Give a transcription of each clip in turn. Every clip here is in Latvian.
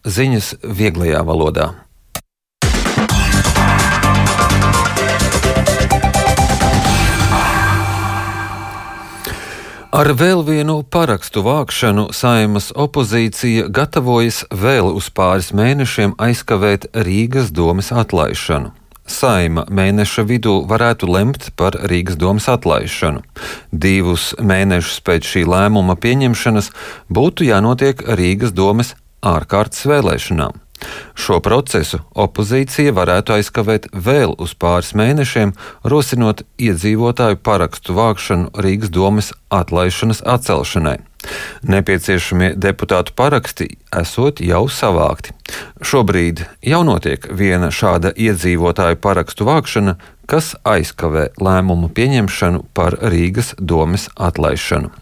ziņas vieglajā valodā. Ar vēl vienu parakstu vākšanu Saeimas opozīcija gatavojas vēl uz pāris mēnešiem aizkavēt Rīgas domes atlaišanu. Saeima mēneša vidū varētu lemt par Rīgas domes atlaišanu. 2 mēnešus pēc šī lēmuma pieņemšanas būtu jānotiek Rīgas domes ārkārtas vēlēšanām. Šo procesu opozīcija varētu aizkavēt vēl uz pāris mēnešiem, rosinot iedzīvotāju parakstu vākšanu Rīgas domes atlaišanas atcelšanai. Nepieciešamie deputātu paraksti esot jau savākti. Šobrīd jau notiek viena šāda iedzīvotāju parakstu vākšana, kas aizkavē lēmumu pieņemšanu par Rīgas domes atlaišanu.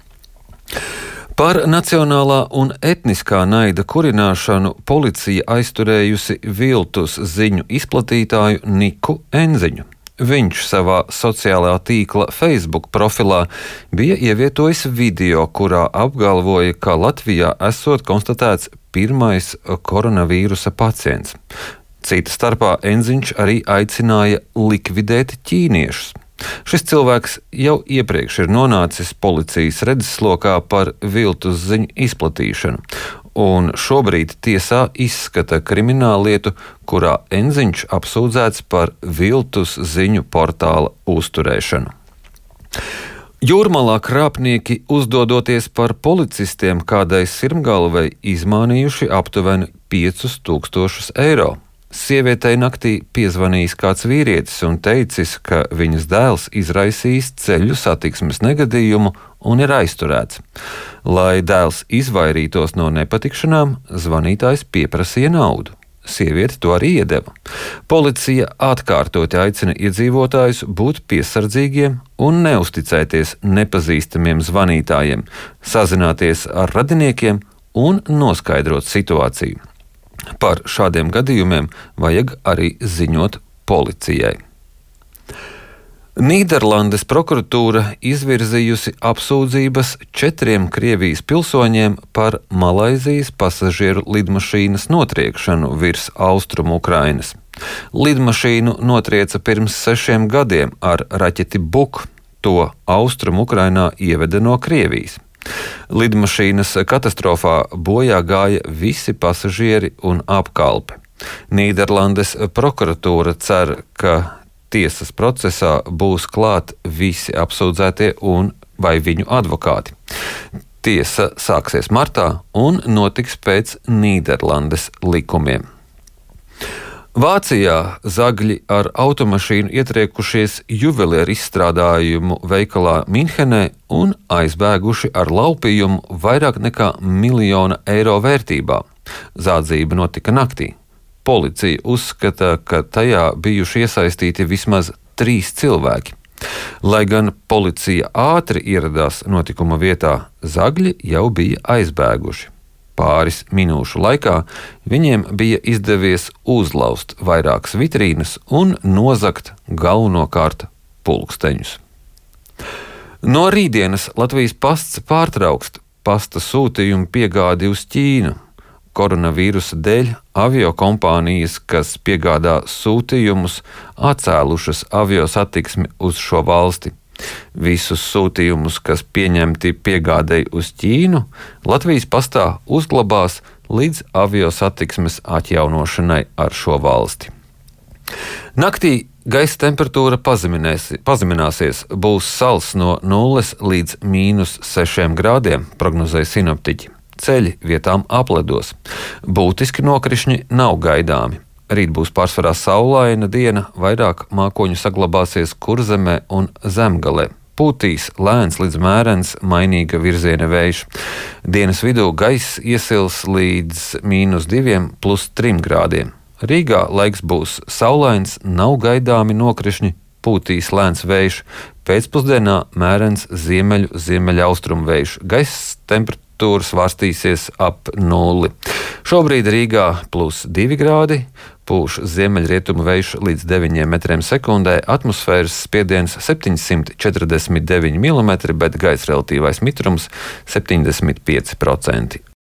Par nacionālā un etniskā naida kurināšanu policija aizturējusi viltus ziņu izplatītāju Niku Enziņu. Viņš savā sociālā tīkla Facebook profilā bija ievietojis video, kurā apgalvoja, ka Latvijā esot konstatēts pirmais koronavīrusa pacients. Cita starpā Enziņš arī aicināja likvidēt ķīniešus. Šis cilvēks jau iepriekš ir nonācis policijas redzeslokā par viltus ziņu izplatīšanu, un šobrīd tiesā izskata krimināllietu, kurā Enziņš apsūdzēts par viltus ziņu portāla uzturēšanu. Jūrmalā krāpnieki, uzdodoties par policistiem, kādai sirmgalvei izmānījuši aptuveni 5000 eiro. Sievietei naktī piezvanījis kāds vīrietis un teicis, ka viņas dēls izraisījis ceļu satiksmes negadījumu un ir aizturēts. Lai dēls izvairītos no nepatikšanām, zvanītājs pieprasīja naudu. Sieviete to arī iedeva. Policija atkārtoti aicina iedzīvotājus būt piesardzīgiem un neusticēties nepazīstamiem zvanītājiem, sazināties ar radiniekiem un noskaidrot situāciju. Par šādiem gadījumiem vajag arī ziņot policijai. Nīderlandes prokuratūra izvirzījusi apsūdzības 4 Krievijas pilsoņiem par Malaizijas pasažieru lidmašīnas notriekšanu virs austrumu Ukrainas. Lidmašīnu notrieca pirms 6 gadiem ar raķeti Buk, to austrumu Ukrainā ieveda no Krievijas. Lidmašīnas katastrofā bojā gāja visi pasažieri un apkalpe. Nīderlandes prokuratūra cer, ka tiesas procesā būs klāt visi apsūdzētie un vai viņu advokāti. Tiesa sāksies martā un notiks pēc Nīderlandes likumiem. Vācijā zagļi ar automašīnu ietriekušies juvelieru izstrādājumu veikalā Minhenē un aizbēguši ar laupījumu vairāk nekā 1 miljonu eiro vērtībā. Zādzība notika naktī. Policija uzskata, ka tajā bijuši iesaistīti vismaz 3 cilvēki. Lai gan policija ātri ieradās notikuma vietā, zagļi jau bija aizbēguši. Pāris minūšu laikā viņiem bija izdevies uzlauzt vairākas vitrīnas un nozagt galvenokārt pulksteņus. No rītdienas Latvijas pasts pārtrauks pasta sūtījumu piegādi uz Ķīnu. Koronavīrusa dēļ aviokompānijas, kas piegādā sūtījumus, atcēlušas aviosatiksmi uz šo valsti. Visus sūtījumus, kas pieņemti piegādei uz Ķīnu, Latvijas pastā uzglabās līdz aviosatiksmes atjaunošanai ar šo valsti. Naktī gaisa temperatūra pazemināsies, būs sals no 0 līdz -6 grādiem, prognozēja sinoptiķi. Ceļi vietām apledos. Būtiski nokrišņi nav gaidāmi. Rīt būs pārsvarā saulaina diena, vairāk mākoņu saglabāsies Kurzemē un Zemgalē. Pūtīs lēns līdz mērens mainīga virziena vējš. Dienas vidū gaiss iesils līdz -2 plus 3 grādiem. Rīgā laiks būs saulains, nav gaidāmi nokrišņi, pūtīs lēns vējš. Pēcpusdienā mērens ziemeļaustrumu vējš. Gaisa temperatūra svārstīsies ap 0. Šobrīd Rīgā +2 grādi, pūš ziemeļrietumu vējš līdz 9 metriem sekundē, atmosfēras spiediens 749 mm, bet gaisa relatīvais mitrums 75%.